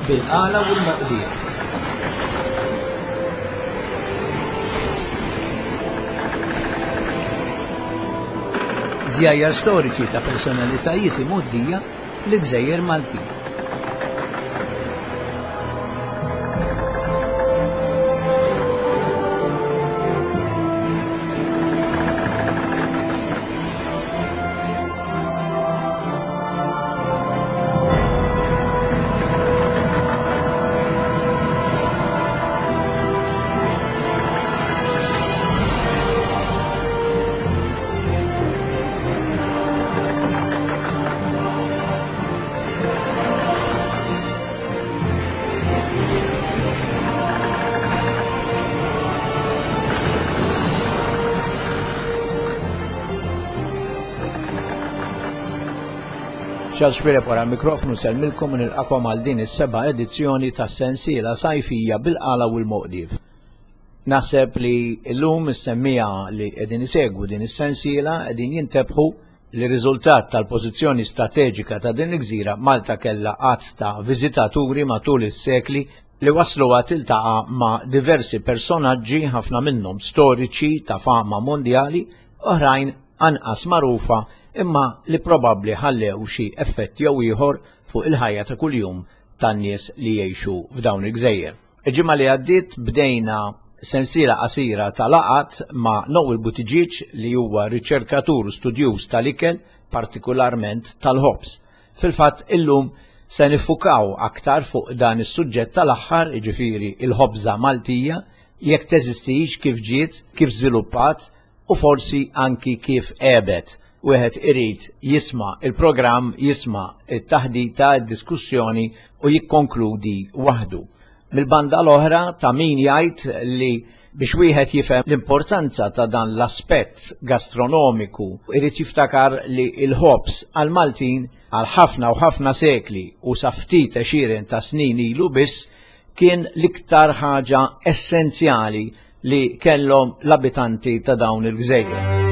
Bil-qala u l-moqdiet. Żjajjar storiċi ta' personalitajiet imgħoddija l-gżejjer Maltin. Charles Xuereb wara l-mikrofnu sellmilkom u nilqakom għal din is-seba' edizzjoni tas-sensiela sajfija bil-qala u l-moqdif. Naħseb li llum is-semmiegħa li qegħdin isegwu din is-sensiela qegħdin jintebħu li riżultat tal-pożizzjoni strateġika ta' din il-gżira Malta kellha għadd ta' viżitaturi matul is-sekli li wassluha tiltaqa' ma' diversi personaġġi ħafna minnhom storiċi ta' fama mondjali, oħrajn anqas magħrufa imma li probabbli ħallew xi effett jew ieħor fuq il-ħajja ta' kuljum tan-nies li jgħixu f'dawn il-gżejjer. Il-ġimgħa li għaddiet bdejna sensiela qasira ta' laqgħat ma' Noel Buttigieg li huwa riċerkatur u studjuż tal-ikel, partikularment tal-ħobż. Fil-fatt illum se niffukaw aktar fuq dan is-suġġett tal-aħħar, jiġifieri il-ħobża Maltija, jekk teżistix, kif ġiet, kif żviluppat u forsi anki kif għebet. Wieħed irid jisma' il-programm, jisma' it-taħdita, id-diskussjoni u jikkonkludi waħdu. Mill-banda l-oħra ta' min jgħid li biex wieħed jifhem l-importanza ta' dan l-aspett gastronomiku irid jiftakar li l-ħobż għall-Maltin għal ħafna u ħafna sekli u sa ftit għexieren ta' snin ilu biss kien l-iktar ħaġa essenzjali li kellhom l-abitanti ta' dawn il-gżejjer.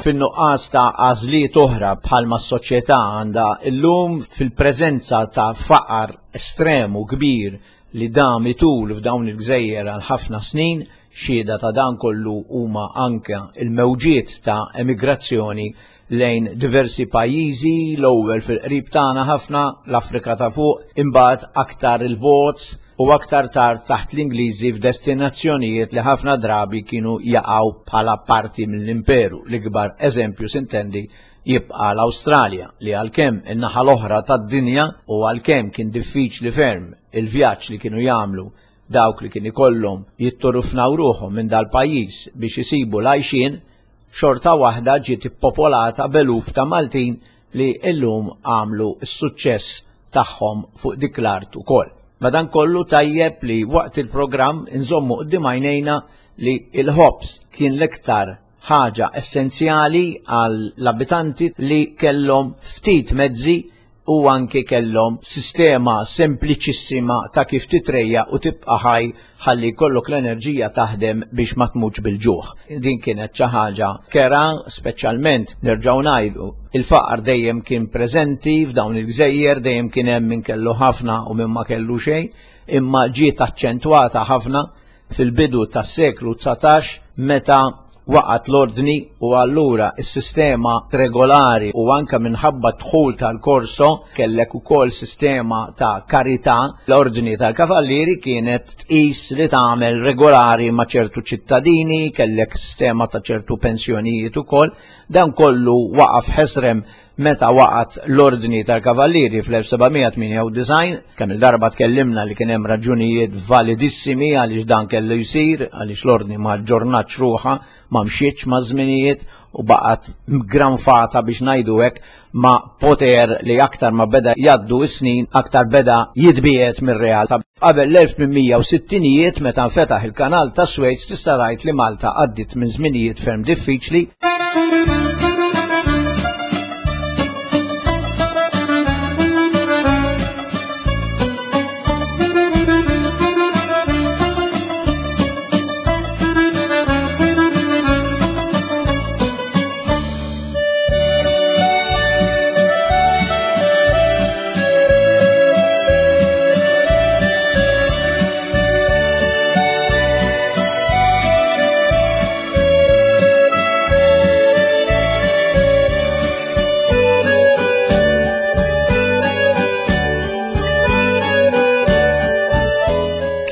Fin-nuqqas ta' għażliet oħra bħalma s-soċjetà għandha llum fil-preżenza ta' faqar estrem u kbir li dam itul f'dawn il-gżejjer għal ħafna snin, xhieda ta' dan kollu huma anke l-mewġiet ta' emigrazzjoni lejn diversi pajjiżi, l-ewwel fil-qrib tagħna ħafna, l-Afrika ta' fuq, imbagħad aktar 'il bogħod u aktar tard taħt l-Ingliżi f'destinazzjonijiet li ħafna drabi kienu jaqgħu bħala parti mill-imperu. L-ikbar eżempju sintendi jibqa' l-Awstralja li għalkemm in-naħa l-oħra tad-dinja u għalkemm kien diffiċli ferm il-vjaġġ li kienu jagħmlu dawk li kien ikollhom jitturufnaw ruħhom minn dal-pajjiż biex isibu l-għajxien, xorta waħda ġiet ippopolata b'eluf ta' Maltin li llum għamlu s-suċċess tagħhom fuq dik l-art ukoll. Madankollu tajjeb li waqt il-programm inżommu quddiem għajnejna li l-ħobż kien l-iktar ħaġa essenzjali għall-abitanti li kellhom ftit mezzi u anki kellhom sistema sempliċissima ta' kif titrejja u tibqa' ħaj ħalli jkollok l-enerġija taħdem biex ma tmutx bil-ġuħ. Din kienet xi ħaġa kera, speċjalment nerġgħu ngħidu, il-faqar dejjem kien preżenti f'dawn il-gżejjer, dejjem kien hemm min kellu ħafna u min ma kellu xejn, imma ġiet aċċentwata ħafna fil-bidu tas-seklu 19 meta waqgħet l-ordni u allura s-sistema regolari u anke minħabba d-dħul tal-Corso kellek ukoll sistema ta' karità, l-ordni tal-kavallieri kienet tqis li tagħmel regolari ma' ċertu ċittadini, kellek sistema ta' ċertu pensjonijiet ukoll, dan kollu waqaf ħesrem. meta waqgħet l-Ordni tal-Kavallieri fl-1798, kemm il-darba tkellimna li kien hemm raġunijiet validissimi għaliex dan kellu jsir, għaliex l-Ordni ma ġġornatx ruħha, ma mxietx maż-żminijiet u baqgħet granfata biex ngħidu hekk ma' poter li aktar ma beda jgħaddu s-snin aktar beda jitbiegħed mir-realtà. Qabel l-1860ijiet meta nfetaħ il-Kanal ta' Suez tista' tgħid li Malta għaddiet minn żminijiet ferm diffiċli.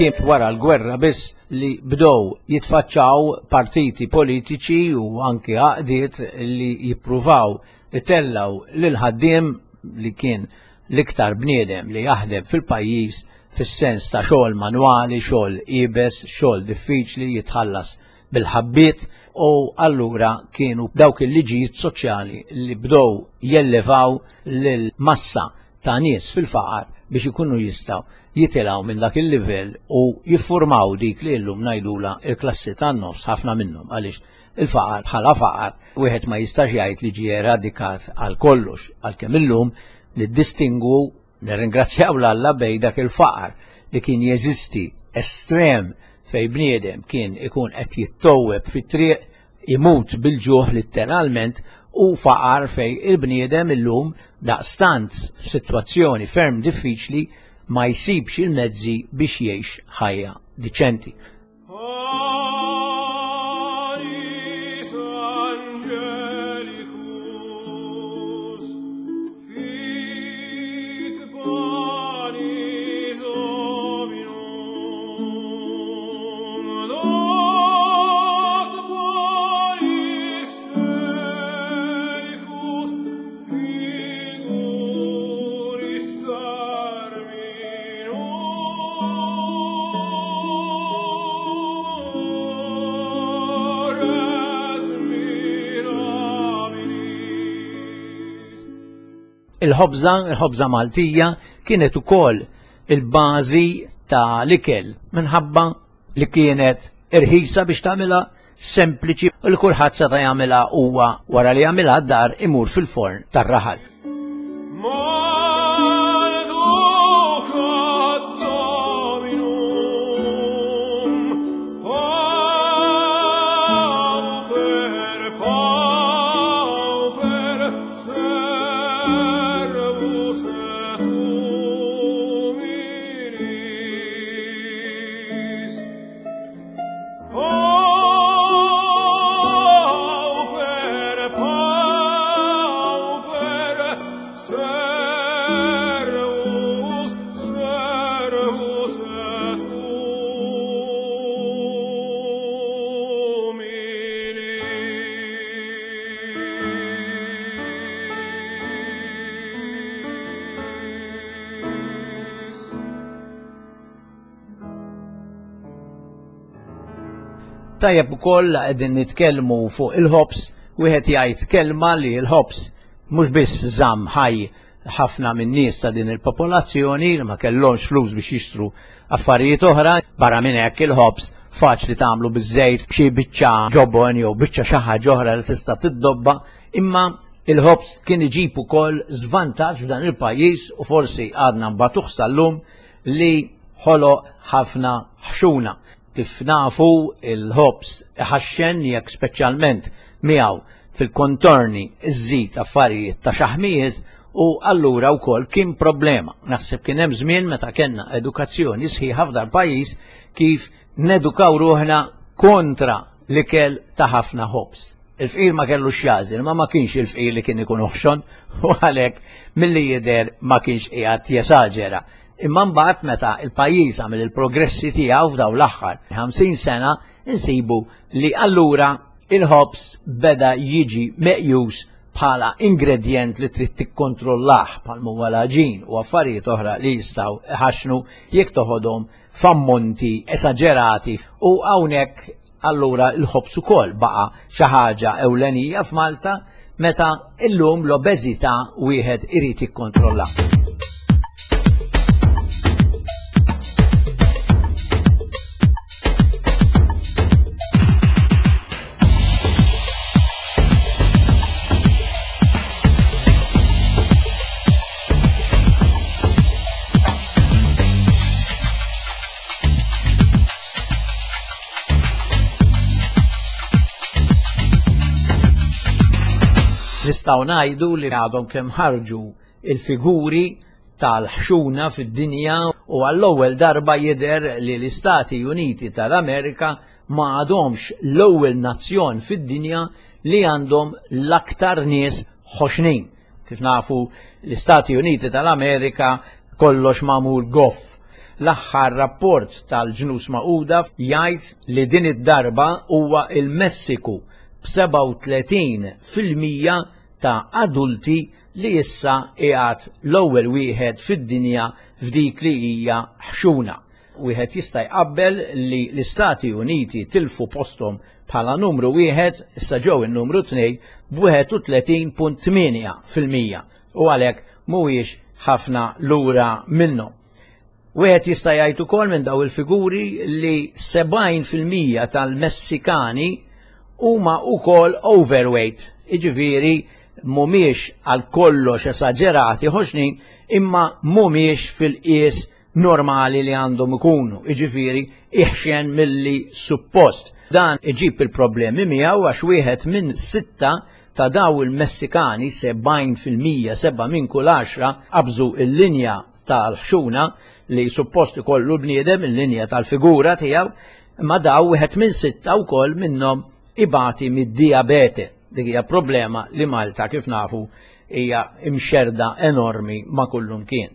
Kien wara l-gwerra biss li bdew jitfaċċaw partiti politiċi u anki għaqdiet li jippruvaw itellaw lil ħaddiem li kien l-iktar bniedem li jaħdem fil-pajjiż fis-sens ta' xogħol manwali, xogħol iebes, xogħol diffiċli jitħallas bil-ħabbiet u allura kienu dawk il-liġijiet soċjali li bdew jellevaw lil massa ta' nies fil-faqar biex ikunu jistgħu jitilgħu minn dak il-livell u jiffurmaw dik li llum ngħidula il-klassi tan-nofs ħafna minnhom għaliex il-faqar bħala faqar wieħed ma jistax jgħid li ġie eradikat għal kollox għalkemm illum niddistingwu nirringrazzjaw l-Alla bej dak il-faqar li kien jeżisti estrem fej bniedem kien ikun qed jittowweb fit-triq imut bil-ġuħ litteralment u faqar fej il-bniedem illum daqstant f'sitwazzjoni ferm diffiċli ma jsibx il-mezzi biex jgħix ħajja diċenti. Il-ħobża, il-ħobża Maltija, kienet ukoll il-bażi ta' l-ikel minħabba li kienet irħisa biex tagħmilha sempliċi u li kulħadd seta' jagħmilha huwa wara li jagħmilha d-dar imur fil-forn tar-raħal. Tajjeb ukoll qegħdin nitkellmu fuq il-ħobs, wieħed jgħid kelma li l-ħobs mhux biss żamm ħaj ħafna minn nies ta' din il-popolazzjoni li ma kellhomx flus biex jixtru affarijiet oħra, barra minn hekk il-ħobs faċli tagħmlu biż-żejt b'xi biċċa ġobon jew biċċa xi ħaġa oħra li tista' tiddobba, imma il-ħobs kien iġib ukoll żvantaġġ f'dan il-pajjiż u forsi għadna nbatuh sal-lum li ħoloq ħafna ħxuna. Kif nafu il-ħobs iħaxxen jekk speċjalment miegħu fil-kontorni iżżid affarijiet ta' xaħmijiet u allura wkoll kien problema. Naħseb kien hemm żmien meta kellna edukazzjoni sħiħa f'dal pajjiż kif nedukaw ruħna kontra l-ikel ta' ħafna ħobs. Il-fqir ma kellux x'jagħżel, ma ma kienx il-fqir li kien ikun oħxon u għalhekk milli jidher ma kienx qiegħed jesaġera. Imma mbagħad meta il-pajjiż għamel il-progressi tiegħu f'dawn l-aħħar 50 sena insibu li allura il-ħobż beda jiġi meqjus bħala ingredjent li trid tikkontrollah bħal huwa l-għaġin u affarijiet oħra li jistgħu iħaxxnu jekk toħodhom f'ammonti esaġerati u hawnhekk allura l-ħobż ukoll baqa' xi ħaġa ewlenija f'Malta meta illum l-obeżità wieħed irid jikkontrolla. Nistgħu ngħidu li għadhom kemm ħarġu il-figuri tal-ħxuna fid-dinja u għall-ewwel darba jidher li l-Istati Uniti tal-Amerika ma għadhomx l-ewwel nazzjon fid-dinja li għandhom l-aktar nies ħoxnin. Kif nafu l-Istati Uniti tal-Amerika kollox magħmul goff. L-aħħar rapport tal-Ġnus Magħquda jgħid li din id-darba huwa il-Messiku b'37 fil-mija ta' adulti li issa qiegħed l-ewwel wieħed fid-dinja f'dik li hija ħxuna. Wieħed jista' jqabbel li l-Istati Uniti tilfu posthom bħala numru wieħed, issa ġew in-numru tnej b'31.8% u għalhekk mhuwiex ħafna lura minnhom. Wieħed jista' jgħid ukoll minn daw il-figuri li 70% tal-Messikani huma wkoll overweight, jiġifieri mhumiex għal kollox esaġerati ħoxnin imma mhumiex fil-qies normali li għandhom ikunu, jiġifieri iħxen milli suppost. Dan iġib il-problemi miegħu għax wieħed minn sitta ta' daw il-Messikani 70% seba' minn kull għaxra qabżu il-linja tal-ħxuna li suppost ikollu bniedem il-linja tal-figura tiegħu, imma daw wieħed minn sitta wkoll minnhom ibati mid-diabete. Dik hija problema li Malta kif nafu hija imxerda enormi ma' kullum kien.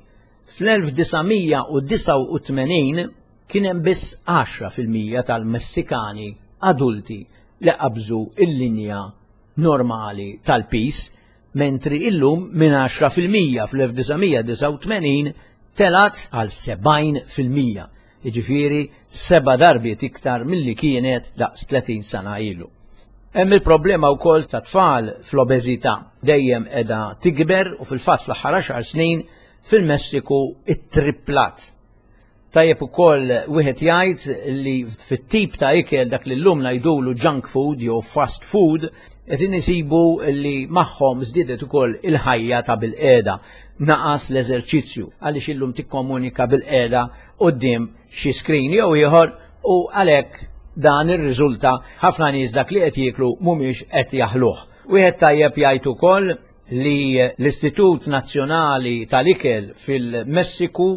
Fl-1989 kien hemm biss 10% tal-Messikani adulti li qabżu il-linja normali tal-pis mentri illum minn 10% fl-1989 telgħet għal 70%, jiġifieri seba' darbiet iktar milli kienet daqs 30 sena ilu. Hemm il-problema wkoll ta' tfal fl-obeżità dejjem qiegħda tikber u fil-fatt fl-aħħar għaxar snin fil-Messiku ittripplat. Tajjeb ukoll wieħed jgħid li fit-tip ta' ikel dak li llum ngħidulu junk food jew fast food qed inisibu li magħhom żdiedet ukoll il-ħajja ta' bilqiegħda. Naqas l-eżerċizzju għaliex illum tikkomunika bilqiegħda quddiem xi screen jew ieħor u għalhekk dan irriżulta ħafna nies dak li qed jieklu mhumiex qed jaħluh. Wieħed tajjeb jgħid ukoll li l-Istitut Nazzjonali tal-Ikel fil-Messiku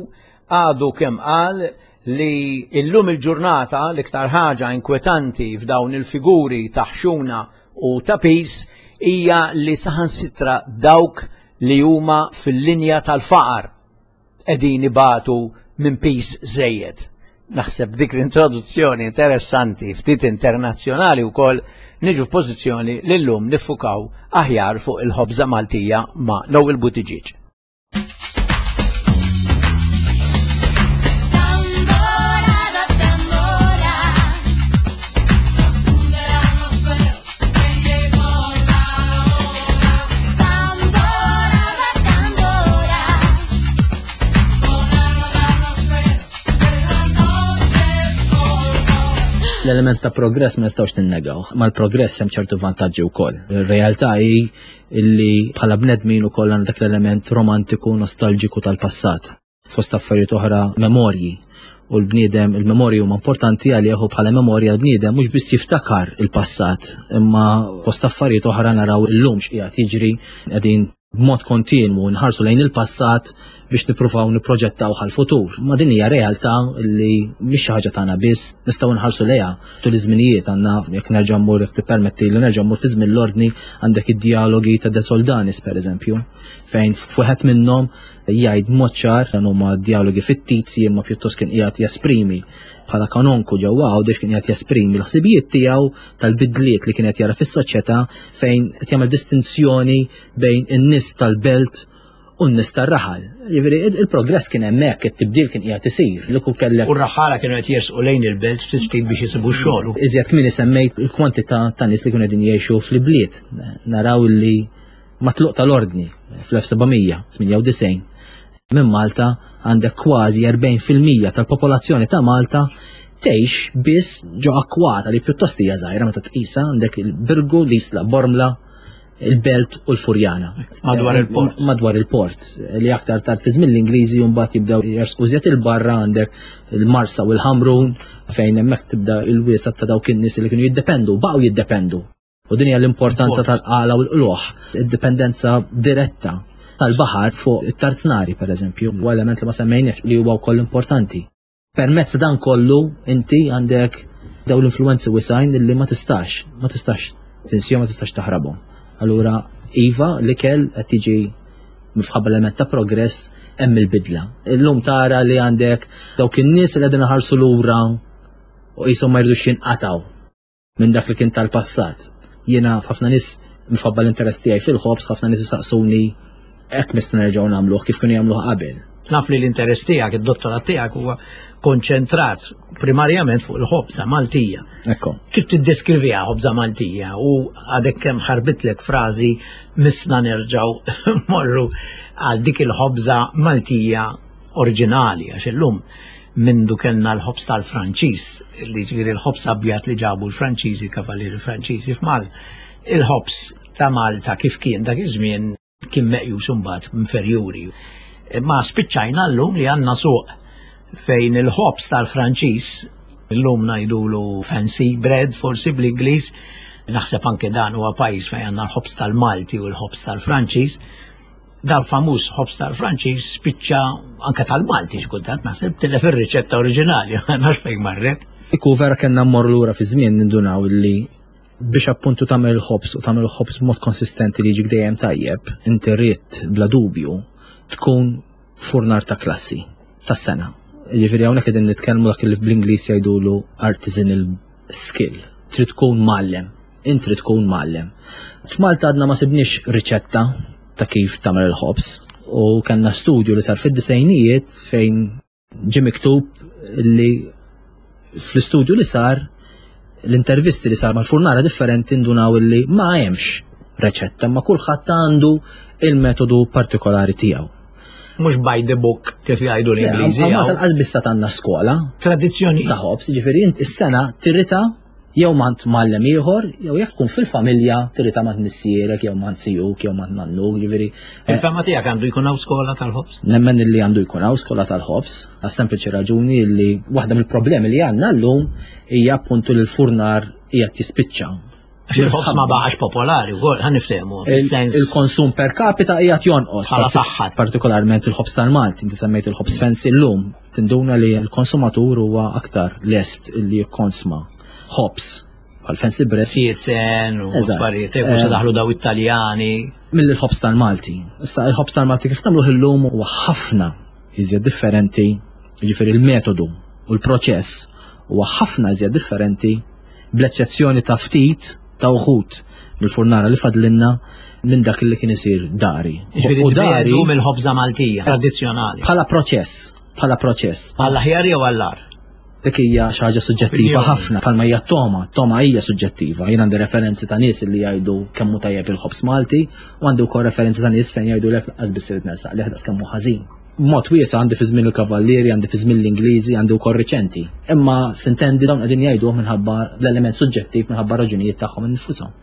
għadu kemm qal li illum il-ġurnata l-iktar ħaġa inkwetanti f'dawn il-figuri ta' ħxuna u ta' pis hija li saħansitra dawk li huma fil-linja tal-faqar qegħdin ibatu minn pis żejjed. Naħseb dik l-introduzzjoni interessanti ftit internazzjonali wkoll niġu f'pożizzjoni li llum niffukaw aħjar fuq il-ħobża Maltija ma' Noel Buttigieg. L-element ta' progress ma nistgħux ninnegaw. Mal-progress hemm ċertu vantaġġi wkoll. Ir-realtà hi illi bħala bnedmin ukoll għandna dak l-element romantiku nostalġiku tal-passat. Fost affarijiet oħra memorji u l-bniedem il-memorji huma importanti għalih u bħala memorja l-bniedem mhux biss jiftakar il-passat imma fost affarijiet oħra naraw illum x'qiegħed jiġri qegħdin b'mod kontinwu nħarsu lejn il-passat biex nippruvaw nipproġettaw għall-futur. Ma din hija realtà li mhix xi ħaġa tagħna biss, nistgħu nħarsu lejha tul iż-żminijiet għandna jekk nerġa' mmur jekk tippermetti li nerġa' mmur fi żmien l-ordni għandek id-dialogi ta' De Soldanis pereżempju, fejn f'wieħed minnhom jgħid mod ċar dan huma dialogi fittizji imma pjuttost kien qiegħed jesprimi. bħala kanonku ġewwa Għawdex kien qed jesprimi l-ħsibijiet tiegħu tal-bidliet li kien qed jara fis-soċjetà fejn qed jagħmel distinzjoni bejn in-nies tal-belt u n-nies tar-raħal. Jiġifieri il-progress kien hemmhekk, it-tibdil kien qiegħed isir. Li kieku kellek. U r-raħħala kienu qed jersqu lejn il-belt ftit ftit biex isibu x-xogħol. Iżjed kmieni semmejt il-kwantità ta' nies li kienu qegħdin jgħixu fl-ibliet. Naraw li mat-tluq tal-Ordni fl-1798 minn Malta għandek kważi 40% tal-popolazzjoni ta' Malta tgħix biss ġo akkwata li pjuttost hija żgħira meta tqisha għandek il-Birgu, l-Isla, Bormla, il-Belt u l-Furjana. Madwar il-port. Madwar il-port li aktar tard fi żmien l-Ingliżi mbagħad jibdew jersqu żjed il-barra għandek il-Marsa u l-Ħamrun fejn hemmhekk tibda il-wiesa ta' dawk in-nies li kienu jiddependu, baqgħu jiddependu. U din hija l-importanza tal-qala u l-qluħ, id-dipendenza diretta tal-baħar fuq it-tarznari pereżempju, huwa element li ma semmejniex li huwa wkoll importanti. Permezz ta' dan kollu inti għandek daw l-influenzi wisajn li ma tistax, ma tistax tinsihom, ma tistax taħrabhom. Allura iva l-ikel qed tiġi mifħabba element ta' progress hemm il-bidla. Illum tara li għandek dawk in-nies li qegħdin iħarsu lura u qishom ma jridux jinqatgħu minn dak li kien tal-passat. Jiena ħafna nies minħabba l-interess tiegħi fil-ħobż, ħafna nies isaqsuni hekk mista nerġgħu nagħmluh kif kienu jagħmluh qabel. Naf li l-interess tiegħek, id-dottorat tiegħek huwa konċentrat primarjament fuq il-ħobża Maltija. Ekku. Kif tiddeskriviha ħobża Maltija u għadek kemm ħarbitlek frażi misna nerġgħu morru għal dik il-ħobża Maltija oriġinali għax illum mindu kellna l-ħobż tal-Franċiż, li ġifieri l-ħobż abjad li ġabu l-Franċiżi, kavalieri Franċiżi f'Mal, il-ħobż ta' Malta kif kien dak iż-żmien kien meqjus imbagħad inferjuri. Ma spiċċajna llum li għandna suq fejn il-ħobż tal-Franċiż, illum ngħidulu fancy bread forsi bl-Ingliż, naħseb anke dan huwa pajjiż fejn għandna l-ħobż tal-Malti u l-ħobż tal-Franċiż, Dal-famuż ħobż tal-Franċiż spiċċa anke tal-Malti xi kultant naħseb tilef ir-riċetta oriġinali, ma nafx fejn marret. Iku vera kellna mmorru lura fi żmien nindunaw li biex appuntu tagħmel il-ħobż u tagħmel il-ħobż b'mod konsistenti li jiġik dejjem tajjeb, inti rrid bla dubju tkun furnar ta' klassi ta' sena. Jiġifieri hawnhekk qegħdin nitkellmu dak li bl-Ingliż jgħidulu artisanal skill. Trid tkun mgħallem. Int trid tkun mgħallem. F'Malta għadna ma sibniex riċetta ta' kif tagħmel il-ħobż u kellna studju li sar fid-disejnijiet fejn ġie miktub li fl-istudju li sar l-intervisti li sar mal-furnara differenti ndunaw li ma hemmx reċetta ma kulħadd għandu il-metodu partikolari tiegħu. Mhux by the book kif jgħidu l-Ingliżi. Ma tal-qas biss għandna skola. Tradizzjoni. Ta' ħobż, ġifieri is-sena tirrita jew mant mgħallem ieħor, jew jekk tkun fil-familja tirrita mant missierek, jew mant sijuk, jew mant nannu, ġifieri. Eh, Il-fema tiegħek għandu jkun hawn skola tal-ħobż? Nemmen li għandu jkun hawn skola tal-ħobż, għas-sempliċi raġuni li waħda mill-problemi li għandna llum hija appuntu li l-furnar qiegħed jispiċċa. Għax il-ħobż ma baqax popolari wkoll, ħa niftehmu, fis-sens. Il-konsum per capita qiegħed jonqos. Bħala saħħa. Partikolarment il-ħobż tal-Malti, inti semmejt il-ħobż fancy llum, tinduna li l-konsumatur huwa aktar lest li jikkonsma ħobż bħal fancy bread. Sietzen u affarijiet, hekk se eh, daħlu daw it-Taljani. Mill il-ħobż tal-Malti. Issa il-ħobż tal-Malti kif nagħmluh illum huwa ħafna iżjed differenti, jiġifieri il-metodu u l-proċess huwa ħafna iżjed differenti bl-eċċezzjoni ta' ftit ta' uħud mill-furnara li fadlinna minn dak li kien isir dari. U dari mill-ħobża Maltija tradizzjonali. Bħala proċess, bħala proċess. Għall aħjar jew għall-ar? Dik hija xi ħaġa suġġettiva ħafna, bħalma hija toma, toma hija suġġettiva. Jien għandi referenzi ta' nies li jgħidu kemm hu tajjeb il-ħobż Malti u għandi wkoll referenzi ta' nies fejn jgħidu lek lanqas biss irid nersaq lih daqs kemm hu ħażin. Mod wiesa' għandi fi żmien il-Kavallieri, għandi fi żmien l-Ingliżi, għandi wkoll riċenti. Imma sintendi dawn qegħdin jgħiduh minħabba l-element suġġettiv minħabba raġunijiet tagħhom infushom.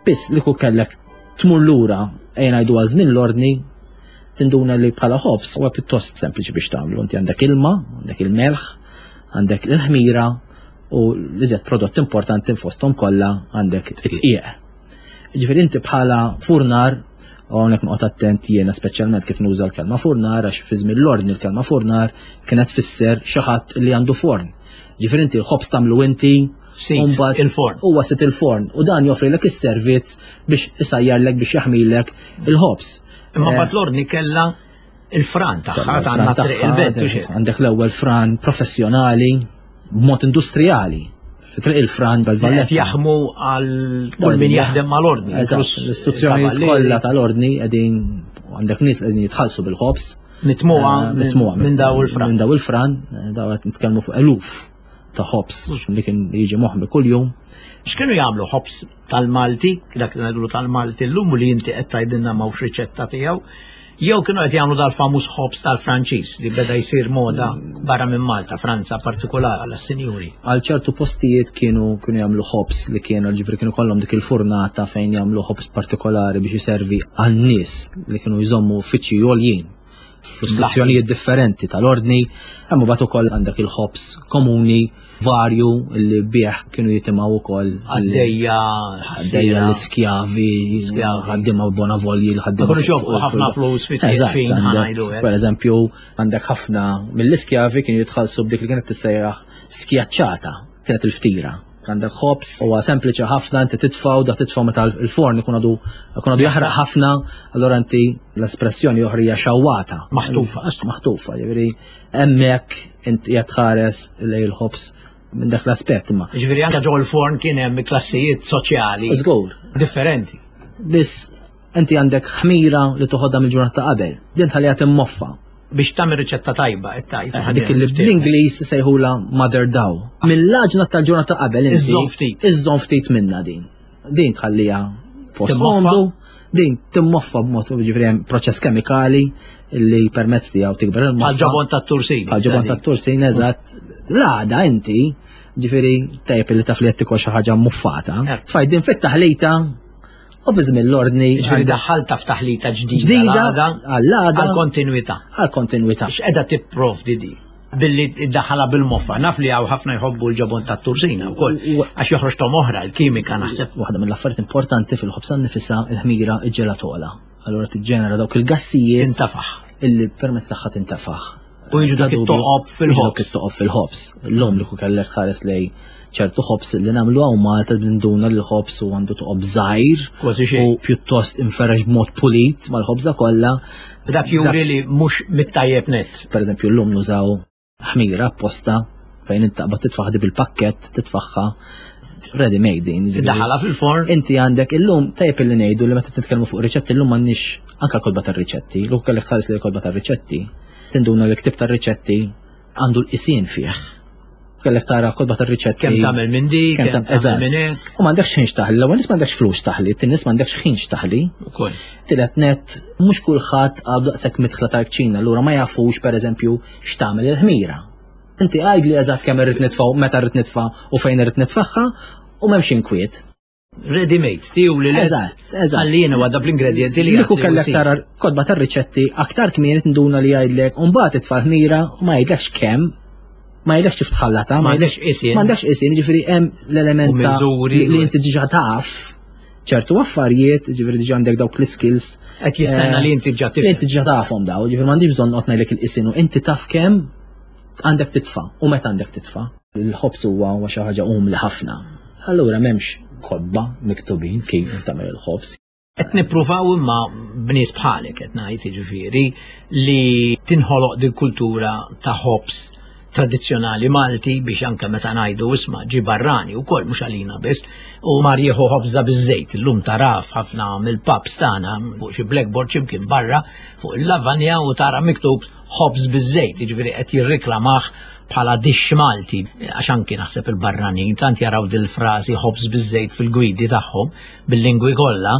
Biss li ku kellek tmur lura ejja ngħidu għal żmien l-ordni tinduna li bħala ħobż huwa pjuttost sempliċi biex tagħmlu. Inti għandek ilma, għandek il-melħ, għandek il-ħmira u l-iżjed prodott importanti fosthom kollha għandek it-tqieq. Ġifieri inti bħala furnar, u hawnhekk noqgħod attent jiena speċjalment kif nuża l-kelma furnar għax fi żmien l-ordni l-kelma furnar kienet tfisser xi ħadd li għandu forn. Ġifieri inti l-ħobż tagħmlu inti, Sit il-forn. Huwa sit il-forn u dan joffrilek is-servizz biex isajjarlek biex jaħmilek il-ħobż. Imma mbagħad l-ordni kellha il-fran tagħha għandna triq il-belt. Għandek l-ewwel fran professjonali b'mod industrijali fi triq il-fran tal-Valletta. Jaħmu għal kull min jaħdem mal-ordni. L-istituzzjoni kollha tal-ordni qegħdin għandek nies qegħdin jitħallsu bil-ħobż. Mitmuha eh, mitmuha minn daw il-fran. Minn daw il-fran, eh, daw qed nitkellmu fuq eluf ta' ħobż li kien jiġi moħmi kuljum. X'kienu jagħmlu ħobż tal-Malti, dak li ngħidulu tal-Malti llum u li inti qed tgħidilna m'hawnx riċetta tiegħu, jew kienu qed jagħmlu dal-famuż ħobż tal-Franċiż li beda jsir moda barra minn Malta, Franza partikolari għas-sinjuri. Għal ċertu postijiet kienu kienu jagħmlu ħobż li kienu ġifri kienu kollhom dik il-furnata fejn jagħmlu ħobż partikolari biex iservi għan-nies li kienu jżommu uffiċċji għoljin f'istituzzjonijiet differenti tal-ordni, hemm imbagħad ukoll għandek il-ħobż komuni varju li bih kienu jitimgħu wkoll għaddejja għaddejja l-iskjavi, ħaddiema bonavolji, l-ħaddiema. Kienu ħafna flus fi fejn ħanajdu. Per eżempju, għandek ħafna mill-iskjavi kienu jitħallsu b'dik li kienet tissejjaħ skjaċċata, kienet il-ftira. Għandek ħobs, huwa sempliċi ħafna, inti titfaw, da titfaw meta l-forn ikun għadu ikun għadu jaħraq ħafna, allura inti l-espressjoni oħra hija xawwata. Maħtufa. Għax maħtufa, jiġifieri hemmhekk inti qed tħares lejn il-ħobs minn dak l-aspett imma. Jiġifieri anke ġol forn kien hemm klassijiet soċjali. Żgur. Differenti. Biss inti għandek ħmira li toħodha mill-ġurnata ta' qabel, din tħalliha timmoffa. Biex tagħmel riċetta tajba qed tgħid. Eh, dik li bl-Ingliż sejħula mother dough. Mill-għaġna tal-ġurnata ta' qabel inti. Iżżomm ftit. Iżżomm ftit minna din. Din tħalliha post komdu, din timmoffa b'mod ġifieri hemm proċess kemikali li permezz tiegħu tikber il-moffa. Bħal-ġobon tat-tursin. Bħal-ġobon tat-tursin, eżatt. L-għada inti, ġifieri tajjeb li taf li qed tikol xi ħaġa muffata. Eh. Tfaj din fit-taħlita U fi żmien l-ordni. Ġifieri daħħalta f'taħlita ġdida. Ġdida għall-għada. Għall-kontinwità. Għall-kontinwità. X'qegħda tipprovdi di? Billi daħħala bil-moffa. Naf li hawn ħafna jħobbu l-ġobon tat-tursina wkoll. Għax joħroġ tom oħra, l-kimika naħseb. Waħda mill-affarijiet importanti fil-ħobsa nifisha il-ħmira il-ġelatola. Allura tiġġenera dawk il-gassijiet. Tintafaħ. Illi permezz tagħha tintafaħ. U jiġu dak it-toqob fil-ħobs. Dak it-toqob fil-ħobs. L-lum li kellek ħares lej ċertu ħobs li nagħmlu hawn Malta ninduna li l-ħobs u għandu toqob żgħir. Kważi xejn. U pjuttost inferrex b'mod pulit mal-ħobża kollha. Dak juri li mhux mit-tajjeb net. Per eżempju llum nużaw ħmira apposta fejn intaqbad titfaħ di bil-pakkett titfaħħa ready made din. Daħala fil-forn. Inti għandek illum tajjeb illi ngħidu li meta nitkellmu fuq riċetti illum m'għandniex anke l-kotba tar-riċetti, l kellek tħares li l-kotba tar-riċetti tinduna li ktib tar-riċetti għandu l-qisien fih. Kellek tara kotba tar-riċetti. Kemm tagħmel minn di, kemm tagħmel minn hekk. U m'għandekx ħin xtaħli, l-ewwel nies m'għandekx flus taħli, t nies m'għandekx ħin xtaħli. Ukoll. Tielet net, mhux kulħadd għadu daqshekk midħla tal-kċina, allura ma jafux pereżempju x'tagħmel il-ħmira. Inti għajd li eżatt kemm irrid nitfa' meta rrid nitfa' u fejn irrid nitfaħħa u m'hemmx inkwiet. Ready made, tiju li l Eżatt, eżatt. Għalli jena għadda bl-ingredienti li. Liku kellek tara kodba tar-riċetti aktar kmieni tinduna li jgħidlek u mbagħad itfa' ħmira u ma jgħidlekx kemm, ma jgħidlekx kif tħallata, ma jgħidlekx isin. Ma għandekx isin, ġifieri hemm l-element li inti diġà taf ċertu affarijiet, ġifieri diġà għandek dawk l-skills. Qed jistenna eh, li inti ġa tifhem. Li inti ġa tafhom daw, ġifieri m'għandix bżonn noqgħod ngħidlek il-isin u inti taf kemm għandek titfa' u meta għandek titfa'. Il-ħobż huwa huwa xi ħaġa umli ħafna. Allura m'hemmx kotba miktubin kif tagħmel il-ħobż. Qed nippruvaw imma b'nies bħalek qed ngħid jiġifieri li tinħoloq din kultura ta' ħobż tradizzjonali Malti biex anke meta ngħidu isma' ġi barrani wkoll mhux għalina biss u mar jieħu ħobża biż-żejt illum taraf ħafna mill-pubs tagħna fuq xi blackboard x'imkien barra fuq il-lavanja u tara miktub ħobż biż-żejt, jiġifieri qed jirriklamah bħala dixx Malti, għax anki naħseb il-barranin tant jaraw dil-frażi ħobż biż-żejt fil-gwidi tagħhom bil-lingwi kollha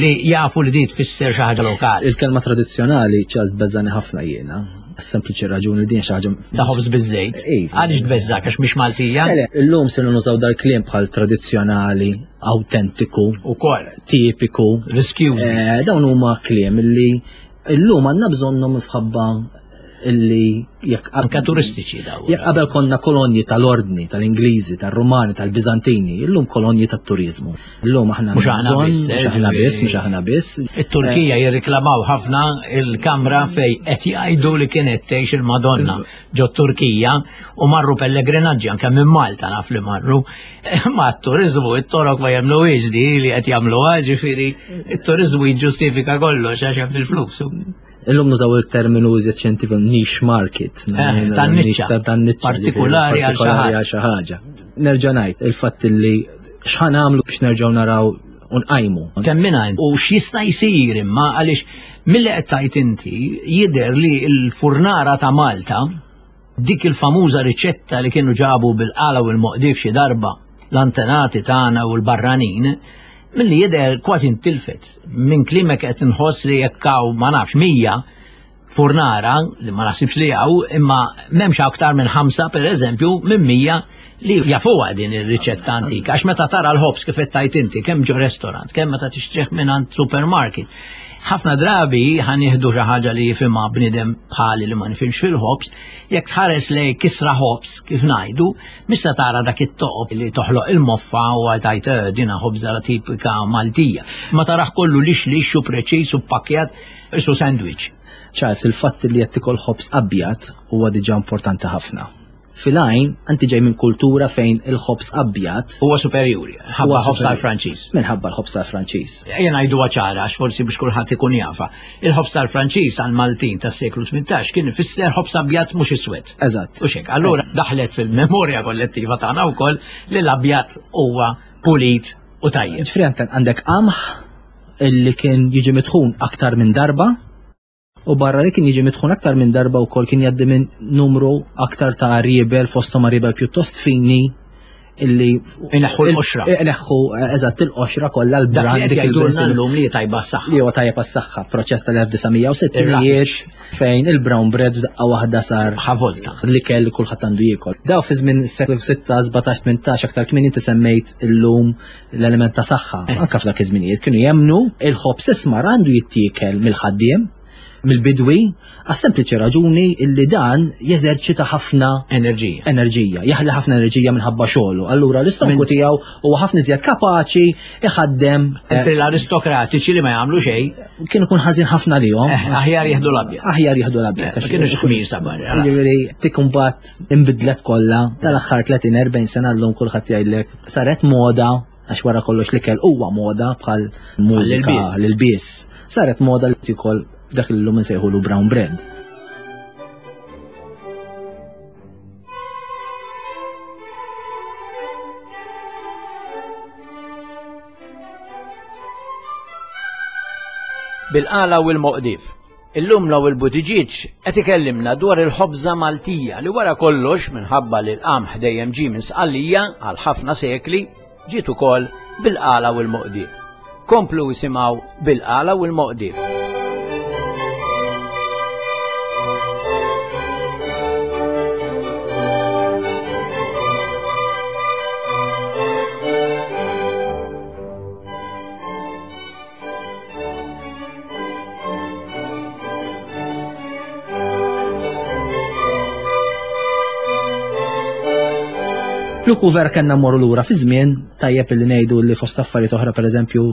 li jafu li di tfisser xi ħaġa lokali. Il-kelma tradizzjonali ċas tbeżżani ħafna jiena. Sempliċi raġuni li din xi ħaġa ta' ħobż biż-żejt. Iva. Għaliex tbeżżak għax mhix Maltija? Illum sirna nużaw dal-kliem bħal tradizzjonali, awtentiku, ukoll tipiku, riskjużi. Eh, dawn huma kliem li Illum għandna bżonnhom minħabba illi jekk anke turistiċi daw. Jekk qabel konna kolonji tal-ordni, tal-Ingliżi, tal-Rumani, tal-Biżantini, illum kolonji tat-turizmu. Illum aħna mhux aħna biss, mhux aħna biss, mhux aħna biss. It-Turkija jirriklamaw ħafna il-kamra fej qed jgħidu li kienet tgħix il-Madonna ġo Turkija u marru pellegrinaġġi anke minn Malta naf li marru. Ma t-turizmu, it-torok ma jemnuhiex di li qed jagħmluha, ġifieri it-turizmu jiġġustifika kollox għax hemm il-flus. Illum nużaw il-terminu iżjed xjentifiku niche market. Eh, tan-niċċa. Tan-niċċa. Partikolari għal xi ħaġa. Nerġa' ngħid il-fatt li x'ħan għamlu biex nerġgħu naraw unqajmu. Temmina u x'jista' jsir imma għaliex milli qed tgħid inti jidher li l-furnara ta' Malta dik il-famuża riċetta li kienu ġabu bil-qala u l-moqdif xi darba l-antenati tagħna u l-barranin milli jidher kważi ntilfet. Minn klimek qed inħoss li jekk hawn ma nafx 100 furnara li ma naħsibx li hawn, imma m'hemmx aktar minn ħamsa pereżempju minn 100 li jafuha din ir-riċetta antika. Għax meta tara l-ħobż kif qed tgħid inti, kemm ġo restaurant, kemm meta tixtrih minn supermarket. Ħafna drabi ħa nieħdu xi ħaġa li jifhimha bniedem bħali li ma nifhimx fil-ħobż, jekk tħares lej kisra ħobż kif ngħidu, mhux se tara dak it-toqob li toħloq il-moffa u tgħid eh, dina ħobża tipika Maltija. Ma taraħ kollu lix lix u preċiż u pakkjat isu sandwich. Charles, il-fatt li qed tikol ħobż abjad huwa diġà importanti ħafna. Fil-għajn, anti ġej minn kultura fejn il-ħobż abjad. Huwa superjuri, ħabba ħobż tal-Franċiż. Minħabba l-ħobż tal-Franċiż. Jien ngħidu ċara għax forsi biex kulħadd ikun jafa. Il-ħobż tal-Franċiż għal Maltin tas-seklu 18 kien ifisser ħobż abjad mhux iswed. Eżatt. U xek, allura daħlet fil-memorja kollettiva tagħna wkoll li l-abjad huwa pulit u tajjeb. Ġifieri għandek qamħ illi kien jiġi mitħun aktar minn darba U barra li kien jiġi mitħun aktar minn darba wkoll kien jgħaddi minn numru aktar ta' riebel fosthom riebel pjuttost fini illi Ineħħu l-qoxra. Ineħħu eżatt il-qoxra kollha l-brand dik il-llum li tajba s-saħħa. Li huwa tajjeb għas-saħħa, proċess tal-1960 fejn il-brown bread f'daqqa waħda sar ħavolta. L-ikel li kulħadd għandu jiekol. Daw fi żmien seklu 6, 17, 18 aktar kmieni inti semmejt illum l-element ta' saħħa. Eh. Anka f'dak iż-żminijiet kienu jemnu il-ħobż ismar għandu jittiekel mill-ħaddiem, mill-bidwi, għas-sempliċi raġuni illi dan jeżerċita ħafna enerġija. Enerġija, jaħli ħafna enerġija minħabba xogħlu. Allura l-istonku tiegħu huwa ħafna iżjed kapaċi iħaddem. Eh, Mentri l-aristokratiċi li ma jagħmlu xejn. Kienu kun ħażin ħafna lihom. Eh, aħjar jieħdu l-abjad. Aħjar jieħdu l-abjad. Ma kienu xħmir sabar. Jiġifieri tik imbagħad inbidlet kollha tal-aħħar 30-40 sena llum kulħadd jgħidlek saret moda għax wara kollox l-ikel huwa moda bħal mużika l-ilbies. Saret moda li tikol dak li llum insejħulu brown bread. Bil-qala u l-moqdif. Illum Lowell Buttigieg qed ikellimna dwar il-ħobża Maltija li wara kollox minħabba li l-qamħ dejjem ġie minn Sqallija għal ħafna sekli, ġiet ukoll bil-qala u l-moqdief. Komplu isimgħu bil-qala u l-moqdief. Luku vera kellna mmorru lura fi żmien tajjeb li ngħidu li fost affarijiet oħra pereżempju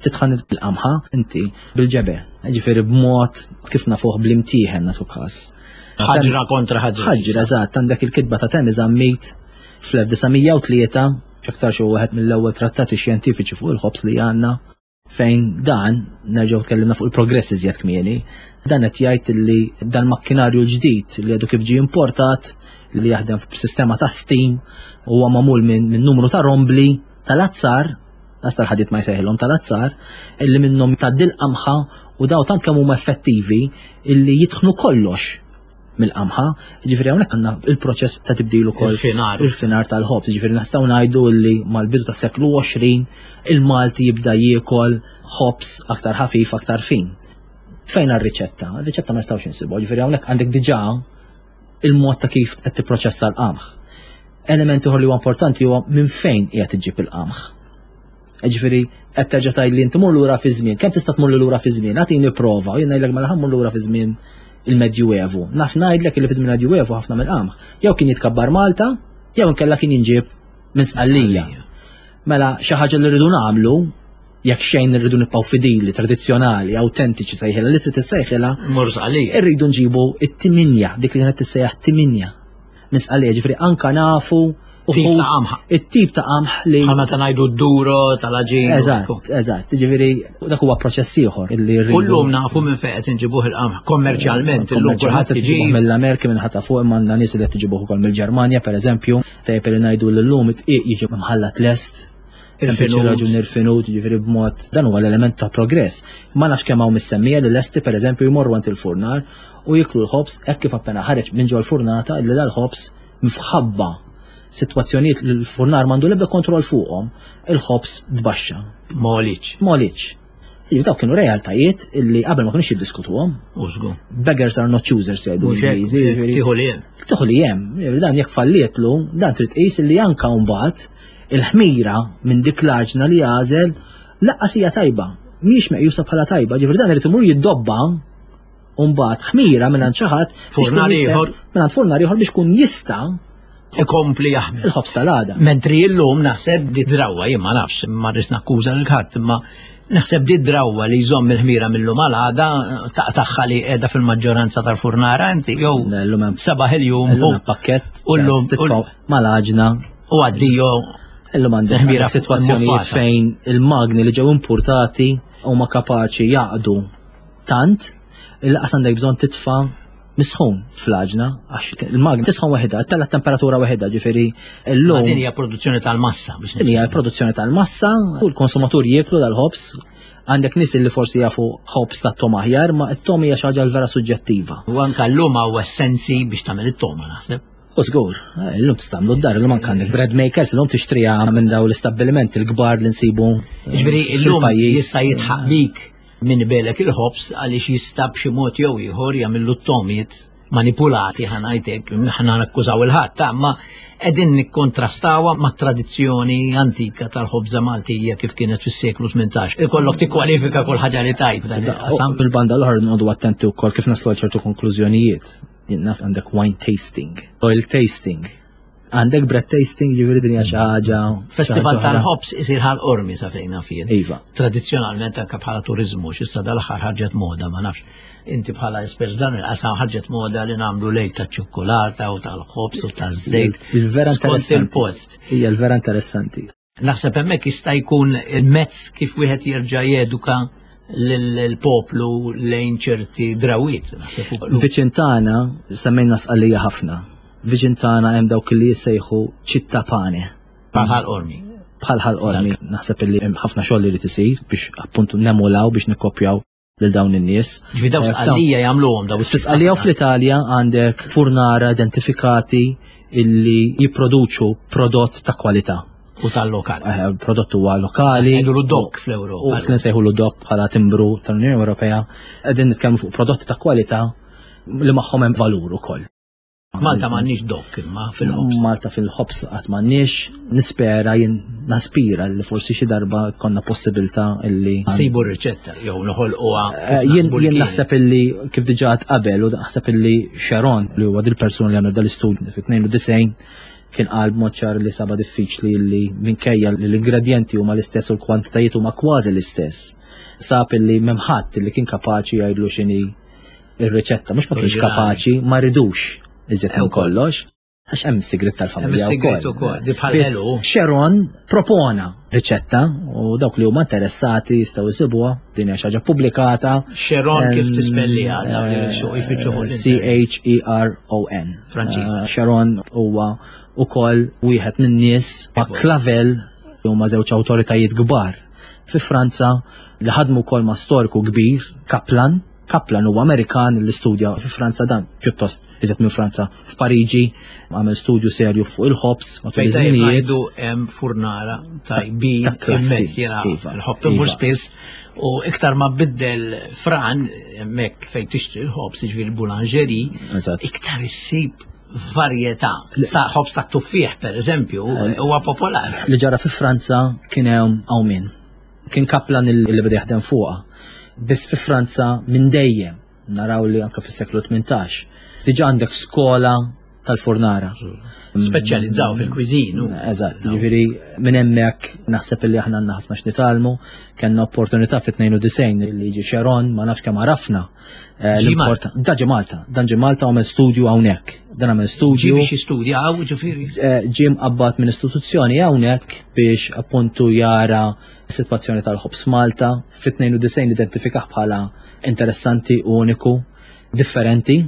titħan il-qamħa inti bil-ġebe, ġifieri b'mod kif nafuh bl-imtieħen nagħtu każ. Ħaġra kontra ħaġra. Ħaġra eżatt, għandek il-kitba ta' Temi Zammit fl-1903 x'aktar xi wieħed mill-ewwel trattati xjentifiċi fuq il-ħobż li għandna Fejn dan, nerġgħu tkellimna fuq il-progress iżjed kmieni, dan qed jgħid li dan makkinarju l-ġdid li għadu kif ġie importat li jaħdem b'sistema ta' steam huwa magħmul minn min numru ta' rombli tal-azzar, għas tal-ħadid ma jsejħilhom tal-azzar, illi minnhom tgħaddi l-qamħa u daw tant kemm huma effettivi illi jitħnu kollox mill-qamħa, ġifieri hawnhekk għandna il-proċess ta' tibdil ukoll il-finar. Il-finar tal-ħobż, ġifieri nistgħu ngħidu li mal-bidu tas-seklu 20 il-Malti jibda jiekol ħobż aktar ħafif, aktar fin. Fejn r-riċetta? Ir-riċetta ma nistgħux insibu, ġifieri hawnhekk għandek diġà il-mod ta' kif qed tipproċessa l-qamħ. Element ieħor li huwa importanti huwa minn fejn qiegħed iġġib il-qamħ. Ġifieri qed terġa' tgħid li inti mur lura fi żmien, kemm tista' tmur lura fi żmien? Agħtini prova, jien ngħidlek mela ħammur lura fi żmien. il-Medjuevu. Naf ngħidlek li fi żmien Medjuevu ħafna mill-qamħ jew kien jitkabbar Malta jew inkella kien jinġieb minn Sqallija. Mela xi ħaġa li rridu nagħmlu jekk xejn irridu nibqgħu fidili, tradizzjonali, awtentiċi sejħilha li trid issejħilha. Mur Sqallija. Irridu nġibu it-timinja, dik li kienet tissejjaħ timinja. Minn Sqallija, ġifieri anka nafu Tip ta' qamħ. It-tip ta' qamħ li. Bħal meta ngħidu d-duro tal-aġin. Eżatt, eżatt. Ġifieri dak huwa proċess ieħor illi rridu. Kullum nafu minn fejn qed inġibuh il-qamħ kommerċjalment illum kulħadd iġi. Mill-Amerika minn ħata fuq imma għandna nies li qed iġibuh ukoll mill-Ġermanja pereżempju, tajjeb li ngħidu li llum it-tqiq jiġi mħallat lest. Sempliċi raġun irfinut, ġifieri b'mod dan huwa l-element ta' progress. Ma nafx kemm hawn missemmija li lesti pereżempju jmorru għand il-furnar u jiklu l-ħobż hekk kif appena ħareġ minn ġol-furnata li dal-ħobż mfħabba sitwazzjonijiet li l-furnar m'għandu l-ebda kontroll fuqhom, il-ħobż tbaxxa. Moliċ. Moliċ. Iva dawk kienu realtajiet illi qabel ma kienux jiddiskutuhom. Użgu. Beggars are not choosers jgħidu l-Ingliżi. Tieħu li hemm. Tieħu li hemm. Dan jekk fallietlu, dan trid tqis illi anka mbagħad il-ħmira minn dik l-għaġna li għażel laqqas hija tajba. Mhijiex meqjusa bħala tajba, ġifieri dan irid imur jiddobba U mbagħad ħmira minn xi ħadd furnar ieħor minn furnar ieħor biex kun jista' ikompli jaħmel. Il-ħobż tal-għada. Mentri illum naħseb di drawwa jien ma nafx, ma rridx nakkuża lil ħadd, imma naħseb di drawwa li jżomm il-ħmira mill-lum għal għada taqtaħħa li qiegħda fil-maġġoranza tal-furnara inti jew sabaħ il-jum u pakkett u llum mal-għaġna u għaddijo Illum għandek ħmira sitwazzjonijiet fejn il-magni li ġew importati huma kapaċi jaqdu tant il qas għandek bżonn titfa' misħun fl-għaġna għax il-magna tisħon waħedha, tella temperatura waħedha, ġifieri llum. Din hija produzzjoni tal-massa biex Din hija produzzjoni tal-massa u l-konsumatur jieklu dal-ħobż. Għandek nies li forsi jafu ħobż ta' tom aħjar, ma t-tom hija xi ħaġa vera suġġettiva. U anke llum hawn essenzi biex tagħmel it-toma naħseb. U żgur, eh, illum tistamlu d-dar, illum anke għandek bread makers, illum tixtriha minn daw l-istabbilimenti l-kbar li nsibu. Ġifieri illum jista' jitħaq bik Min ibelek il-ħobż għaliex jista' b'xi mod jew ieħor jagħmillu t-tomiet manipulati ħa ngħidlek, ħa nakkużaw il-ħadd, imma qegħdin nikkontrastawha mat-tradizzjoni antika tal-ħobża Maltija kif kienet fis-seklu 18. Ikollok tikkwalifika kull ħaġa li tajt dan il-qasam. Bil-banda l-oħra nqogħdu attenti wkoll kif naslu għal ċertu konklużjonijiet. Jien naf għandek wine tasting, oil tasting, Għandek bread tasting ġifieri din hija xi ħaġa. Festival tal-ħobs isir ħal qormi sa fejn naf jien. Iva. Tradizzjonalment anke bħala turiżmu x'issa dal-aħħar ħarġet moda ma nafx. Inti bħala espert dan il-qasam ħarġet moda li nagħmlu lejl taċ-ċukkulata u tal-ħobs u taż-żejt. Il-vera interessanti. il-post. Hija l-vera interessanti. Naħseb hemmhekk jista' jkun il-mezz kif wieħed jerġa' jeduka l-poplu lejn ċerti drawiet. Viċin tagħna semmejna sqallija ħafna. Viċin tagħna hemm dawk li jissejħu ċitta pane. Bħal qormi. Bħal ħal qormi. Naħseb li hemm ħafna xogħol li tisir biex appuntu nemulaw biex nikkopjaw lil dawn in-nies. Ġifi daw eh, sqallija jagħmluhom daw. F'Sqallija u fl-Italja għandek furnara identifikati illi jipproduċu prodott ta' kwalità. U tal-lokal. Eh, prodott huwa lokali. Jgħidu dok fl-Ewropa. U kien sejħu dok bħala timbru tal-Unjoni Ewropea. Qegħdin nitkellmu fuq prodotti ta' kwalità li magħhom hemm valur ukoll. Malta m'għandniex dok imma fil-ħobs. Malta fil-ħobs qatt m'għandniex, nispera jien naspira li forsi xi darba konna possibilità illi. Sibu r-riċetta jew noħolquha. Eh, jien jien naħseb illi kif diġà qabel u naħseb illi Sharon li huwa dil-persuna li għamel dal-istudju fit-92 kien qal b'mod ċar li saba diffiċli li minkejja li l-ingredjenti huma l-istess u l-kwantitajiet huma kważi l-istess. Sab illi m'hemm ħadd li kien kapaċi jgħidlu x'inhi ir-riċetta mhux ma kienx kapaċi, ma ridux iżjed minn kollox. Għax hemm is-sigrit tal-familja wkoll. Di bħal ħelu. Sharon propona riċetta u dawk li huma interessati jistgħu jsibuha, din hija xi ħaġa pubblikata. Sharon kif tispelliha dawn li jfittxu fuq C H E R O N. Franċiż. Eh, Sharon huwa ukoll wieħed min-nies ma' Clavel huma żewġ awtoritajiet kbar fi Franza li ħadmu wkoll ma' storiku kbir, Kaplan, Kaplan huwa Amerikan li studja fi Franza dan pjuttost iżjed minn Franza f'Pariġi, għamel studju serju fuq il-ħobs matul iż-żminijiet. Hemm furnara tajbin immens jiena iva, l-ħobs immur iva. spiss u iktar ma biddel fran hemmhekk fejn tixtri l-ħobs jiġifieri boulangerie, iktar issib varjetà. Sa ħobs ta' tuffieħ per eżempju eh, huwa popolari. Li ġara fi Franza kien hemm hawn Kien Kaplan li beda jaħdem fuqha. Biss fi Franza minn dejjem. Naraw li anke fis-seklu 18 diġà għandek skola tal-furnara. Speċjalizzaw fil-kwiżin. Eżatt, jiġifieri minn hemmhekk naħseb li aħna għandna ħafna x'nitgħallmu, kellna opportunità fit-92 li jiġi Xeron, ma nafx kemm għarafna. Eh, da ġi Malta, dan ġi Malta għamel studju hawnhekk. Dan għamel studju. Ġie biex jistudja hawn ġifieri. Eh, ġie mqabbad minn istituzzjoni hawnhekk biex appuntu jara s-sitwazzjoni tal-ħobż Malta. Fit-92 identifikah bħala interessanti, uniku, differenti.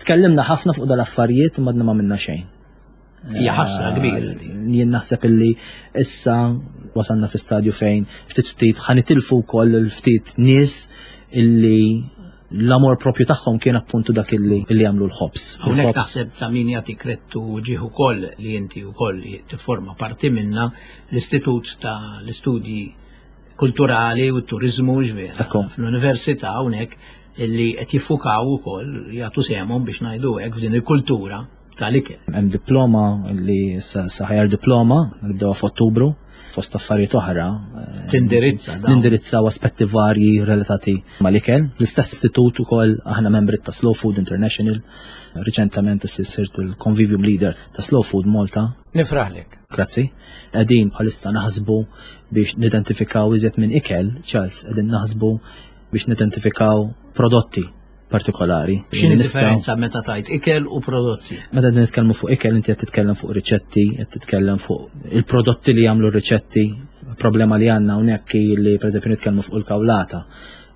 Tkellimna ħafna fuq dal-affarijiet imma għadna ma minna xejn. Hija ħasra kbira. Eh, jien naħseb illi issa wasalna fi stadju fejn ftit ftit ħanitilfu wkoll il-ftit nies illi l-amor propju tagħhom kien appuntu dak illi illi jagħmlu l-ħobż. Hawnhekk naħseb ta' min jagħti krettu ġieħ ukoll li inti wkoll tifforma parti minna l-Istitut ta' l-Istudji Kulturali u t-Turiżmu ġvera. Fl-Università hawnhekk illi qed jiffukaw ukoll jagħtu sehemhom biex ngħidu hekk f'din il-kultura tal-ikel. Hemm diploma li saħjar diploma li bdew f'Ottubru fost affarijiet oħra. Eh, Tindirizza dawn. Nindirizzaw aspetti varji relatati mal-ikel. L-istess istitut ukoll aħna membri ta' Slow Food International. Riċentament sirt il-Convivium Leader ta' Slow Food Malta. Nifraħlek. Grazzi. Qegħdin bħalissa naħsbu biex nidentifikaw iżjed minn ikel, Charles, qegħdin naħsbu biex nidentifikaw prodotti partikolari. X'inhi differenza meta tajt ikel u prodotti? Meta nitkellmu fuq ikel inti qed titkellem fuq riċetti, qed titkellem fuq il-prodotti li jagħmlu r-riċetti. Problema li għandna hawnhekk hi li pereżempju nitkellmu fuq il-kawlata.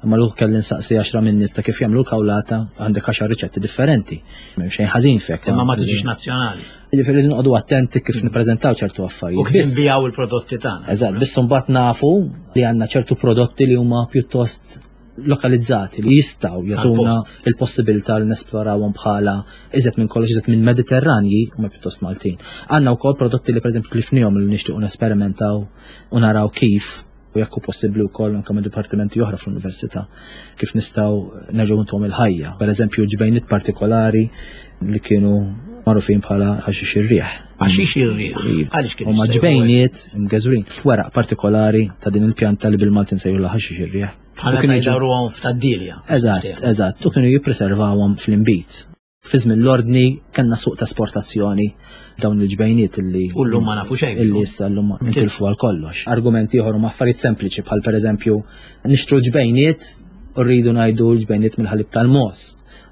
Imma l kelli nsaqsi 10 minn nies ta' kif jagħmlu l-kawlata għandek 10 riċetti differenti. M'hemm xejn ħażin fek. Imma ma tiġix nazzjonali. Jiġifieri noqogħdu attenti kif nippreżentaw ċertu affarijiet. U kif nbijaw il-prodotti tagħna. Eżatt, biss imbagħad nafu li għandna ċertu prodotti li huma pjuttost lokalizzati li jistaw jagħtuna il-possibilità li nesplorawhom bħala iżet minn kollox iżet minn Mediterranji huma pjuttost Maltin. Għandna wkoll prodotti li pereżempju tlifnihom li nixtiequ nesperimentaw u naraw kif u jekk hu possibbli wkoll anke ma' dipartimenti oħra fl-università kif nistgħu nerġgħu ntuhom il-ħajja. Pereżempju ġbejniet partikolari li kienu magħrufin bħala ħaxix ir-riħ. Ħaxix ir-riħ. Iva. Għaliex kienu Huma jissejħu ġbejniet mgeżwrin f'weraq partikolari ta' din il-pjanta li bil-Malti nsejħulha ħaxix ir-riħ. Bħala U kienu jiġu- jdawruhom f'tad-dilja. Eżatt, eżatt, u kienu jippreservawhom fl-inbid. Fi żmien l-ordni kellna suq ta' esportazzjoni dawn il-ġbejniet illi U llum ma nafu xejn. Illi issa llum intilfu għal kollox. Argumenti ieħor huma affarijiet sempliċi bħal pereżempju nixtru ġbejniet u rridu ngħidu l-ġbejniet mill-ħalib tal-mogħoż.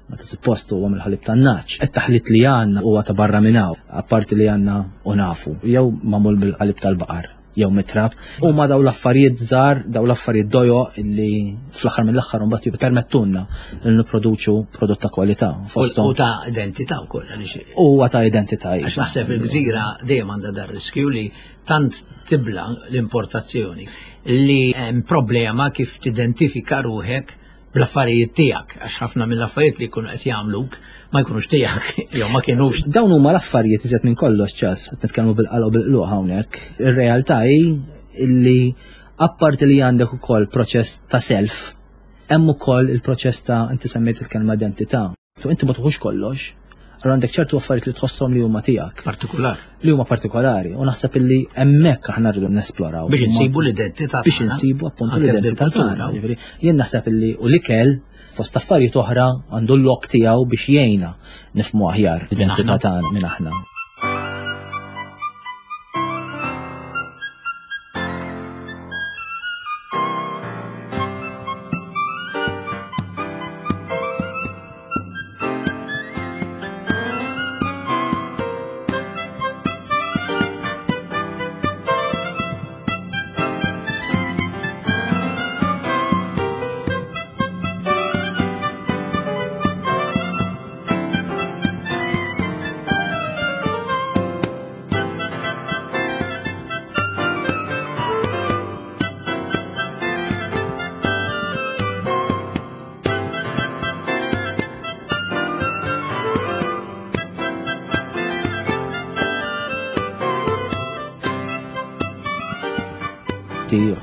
Meta suppost huwa mill-ħalib tan-nagħaġ. It-taħlit li għandna huwa ta' barra minn hawn, apparti li għandna u nafu, jew magħmul bil-ħalib tal-baqar jew mitrab. Huma daw l-affarijiet żgħar, daw l-affarijiet dojo li fl-aħħar mill-aħħar mbagħad jippermettulna li nipproduċu prodott ta' kwalità. U ta' identità wkoll għaliex. Huwa ta' identità. Għax naħseb il-gżira dejjem għandha dar riskju li tant tibla l-importazzjoni li hemm problema kif tidentifika ruħek bl-affarijiet tiegħek, għax ħafna mill-affarijiet li jkunu qed jagħmluk ma jkunux tiegħek, jew ma kienux. Dawn huma l-affarijiet iżjed minn kollox ċas, qed nitkellmu bil-qalb u bil-qluq hawnhekk. Ir-realtà hi illi apparti li għandek ukoll proċess ta' self, hemm ukoll il-proċess ta' inti semmejt il-kelma identità. Tu inti ma tuħux kollox, allura għandek ċertu affarijiet li tħosshom li huma tiegħek. Partikolar. Li huma partikolari u naħseb illi hemmhekk aħna rridu nesploraw. Biex insibu l-identità Biex insibu appuntu l-identità tagħna. Jien naħseb illi u l-ikel fost affarijiet oħra għandu l-lok tiegħu biex jgħinna nifhmu aħjar l-identità tagħna minn aħna.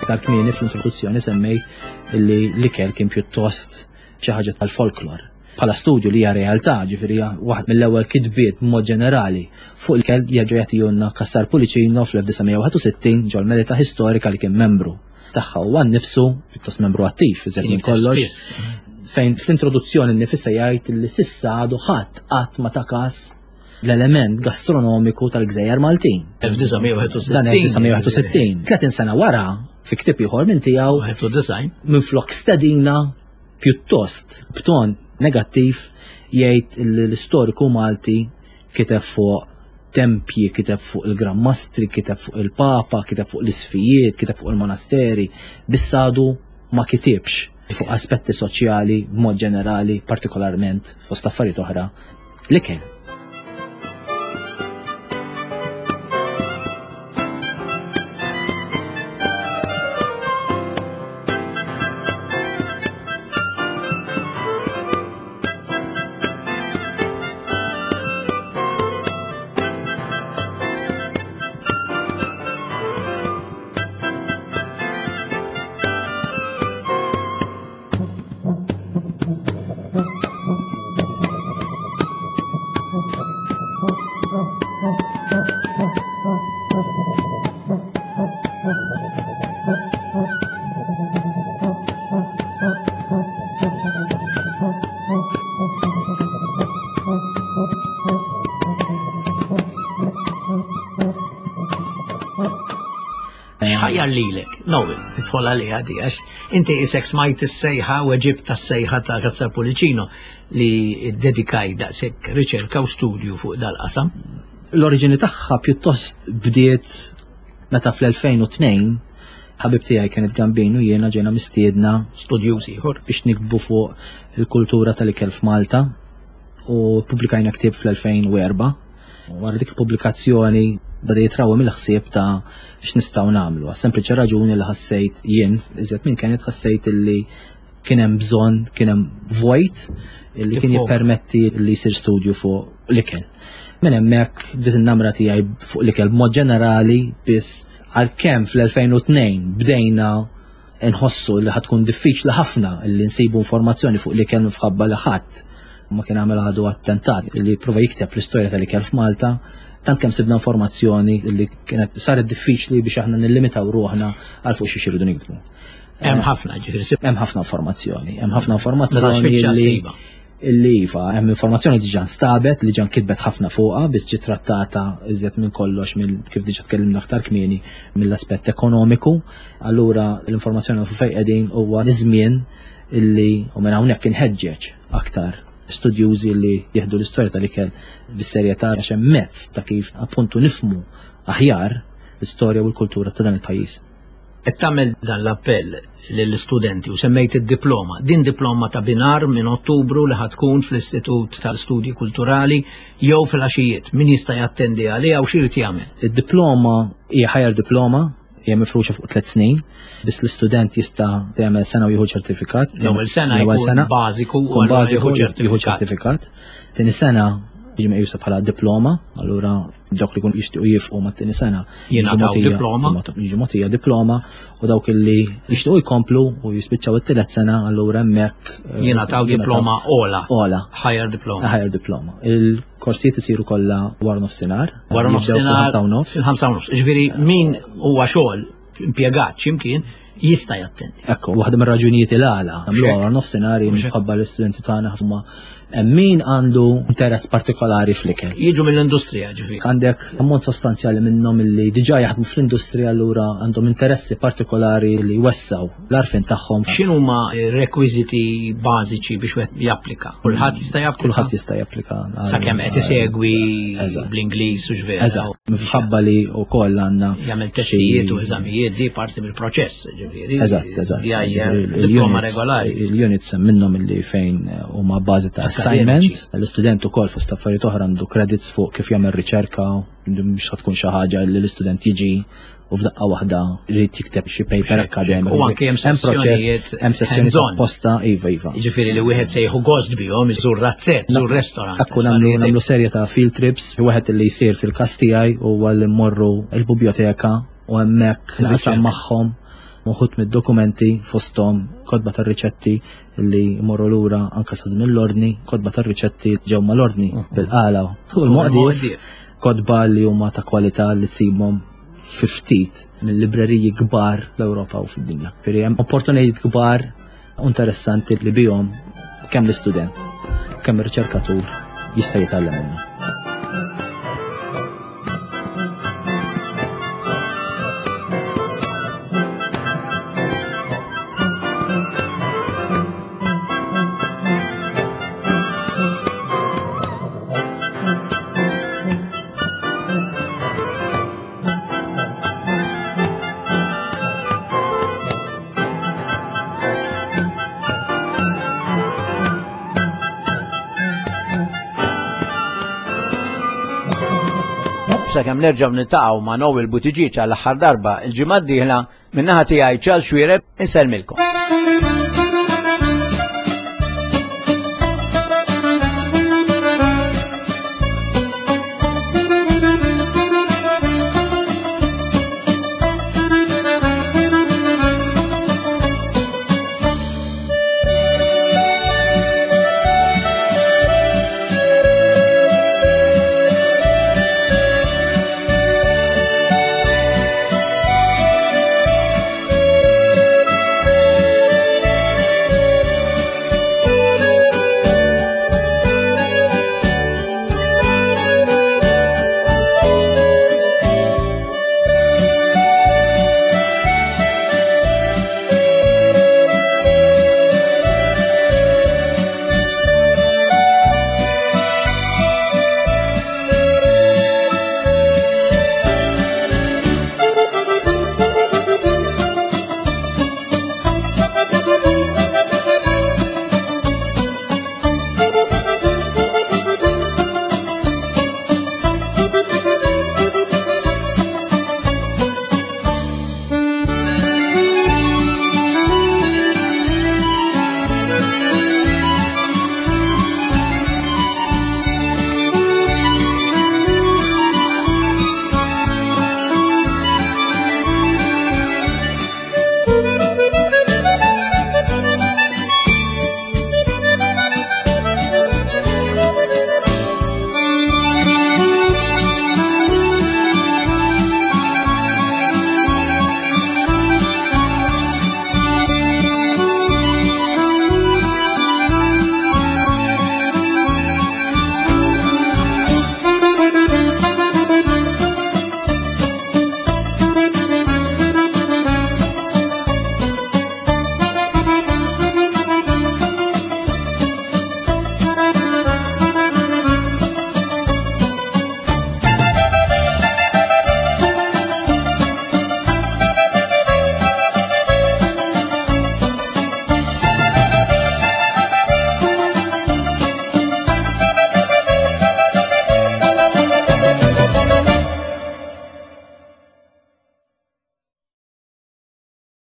Aktar kmieni fl-introduzzjoni semmejt li l-ikel kien pjuttost xi ħaġa tal-folklor. Bħala studju li hija realtà, ġifieri waħd mill-ewwel kitbiet b'mod ġenerali fuq l-ikel jerġa' jagħtihulna Cassar Pullicino fl-1961 ġol-Melita Historika li kien membru tagħha huwa nnifsu pjuttost membru attiv iżjed minn kollox. Fejn fl-introduzzjoni nnifisha jgħid li s'issa għadu ħadd qatt ma ta kas l-element gastronomiku tal-Gżejjer Maltin. 1961. Dan 1961. 30 sena wara, fi ktieb ieħor minn tiegħu. 91. Minflok stedina pjuttost b'ton negattiv jgħid li l-istoriku Malti kiteb fuq tempji, kiteb fuq il-Gran Mastri, kiteb fuq il-Papa, kiteb fuq l-isfijiet, kiteb fuq il-monasteri, biss għadu ma kitibx fuq aspetti soċjali b'mod ġenerali, partikolarment fost affarijiet oħra, l-ikel. X'ħajjar lilek? Noel, tidħol għaliha di għax inti isek smajt is-sejħa u ġibt tas-sejħa ta' Cassar Pulicino li ddedikaj daqshekk riċerka u studju fuq dal-qasam. L-oriġini tagħha pjuttost bdiet meta fl-2002 ħabib tiegħi Kenneth Gambin u jiena ġejna mistiedna studjuż ieħor biex nikbu fuq il-kultura tal-ikel f'Malta u pubblikajna ktieb fl-2004. Wara dik il-pubblikazzjoni beda jitrawhem il-ħsieb ta' x'nistgħu nagħmlu. Għas-sempliċi raġuni li ħassejt jien, iżjed minn Kenneth ħassejt illi kien hemm bżonn, kien hemm vojt li kien jippermetti li jsir studju fuq l-ikel. Minn hemmhekk bdiet in-namra tiegħi fuq l-ikel b'mod ġenerali biss għalkemm fl-2002 bdejna nħossu li ħatkun diffiċli ħafna li nsibu informazzjoni fuq l-ikel minħabba li ħadd ma kien għamel għadu attentat li prova jikteb l-istorja tal-ikel f'Malta, tant kemm sibna informazzjoni li kienet saret diffiċli biex aħna nillimitaw ruħna għal fuq xi xirridu nikdbu. Hemm ħafna ġifieri. Hemm ħafna informazzjoni, hemm ħafna informazzjoni li illi iva, hemm informazzjoni li diġà nstabet, li ġan kitbet ħafna fuqha biss ġiet trattata iżjed minn kollox minn kif diġà tkellimna aktar kmieni mill-aspett ekonomiku. Allura l-informazzjoni fuq fejn qegħdin huwa iż-żmien illi u minn hawnhekk inħeġġeġ aktar studjużi li jieħdu l-istorja tal-ikel bis-serjetà għax hemm mezz ta' kif appuntu nifmu aħjar l-istorja u l-kultura ta' dan il-pajjiż. Qed tagħmel dan l-appell lill-istudenti u semmejt id-diploma. Din diploma ta' binar minn Ottubru li ħa tkun fl-Istitut tal-Studji Kulturali jew fil-għaxijiet. Min jista' jattendi għaliha u x'irid jagħmel? Id-diploma hija higher diploma, hija mifruxa fuq tliet snin, biss l-istudent jista' jagħmel sena u jieħu ċertifikat. L-ewwel sena jkun bażiku u bażiku jieħu ċertifikat. Tieni sena jiġi meqjusa bħala diploma, allura dawk li kun jixtiequ jifqu mat-tieni sena jingħataw diploma. Jiġu mogħtija diploma u dawk li jixtiequ jkomplu u jispiċċaw it-tielet sena allura hemmhekk eh, jingħataw diploma ola. Ola. Higher diploma. Higher diploma. Il-korsijiet isiru kollha wara nofsinhar. Wara nofsinhar. Fil-ħamsa u nofs. Il-ħamsa u nofs. Ġifieri min huwa xogħol impjegat x'imkien jista' jattendi. Ekku, waħda mir-raġunijiet il-għala, nagħmlu għal nofsinhar minħabba l-istudenti tagħna huma min għandu interess partikolari fl-ikel. Jiġu mill-industrija ġifieri. Għandek ammont sostanzjali minnhom li diġà jaħdmu fl-industrija allura għandhom interessi partikolari li jwessaw l-għarfien tagħhom. X'inhuma rekwiżiti bażiċi biex wieħed japplika? Kulħadd jista' japplika? Kulħadd jista' japplika. Sakemm qed isegwi bl-Ingliż u x'vera. Eżatt. Minħabba li wkoll għandna. Jagħmel testijiet u eżamijiet di parti mill-proċess, ġifieri. Eżatt, eżatt. Diploma regolari. Il-units hemm minnhom illi fejn huma bażi ta' assignment, l-istudent ukoll fost affarijiet oħra għandu credits fuq kif jagħmel riċerka, mhux tkun xi ħaġa li l-istudent jiġi u f'daqqa waħda jrid jikteb xi paper akademiku. U anke hemm sessjonijiet hemm sessjoni apposta, iva iva. Jiġifieri li wieħed se jieħu gost bihom iżur razzett, iżur restaurant. Ekku nagħmlu nagħmlu serje ta' field trips, wieħed li jsir fil-każ tiegħi huwa li mmorru l-biblioteka u hemmhekk naqsam magħhom uħud mid-dokumenti fosthom kotba tar-riċetti li jmorru lura anke sa żmien l-ordni, kotba tar-riċetti ġew mal-ordni bil-qala u l-moqdief, kotba li huma ta' kwalità li ssibhom fi ftit mill-libreriji kbar l-Ewropa u fid-dinja. Firri hemm opportunitajiet kbar u interessanti li bihom Kemm l-istudent, kemm ir-riċerkatur jista' jitgħallem minnu. Sakemm nerġgħu niltaqgħu ma' Noel Buttigieg għall-aħħar darba il-ġimgħa d-dieħla, min-naħa tiegħi Charles Xuereb insellmilkom.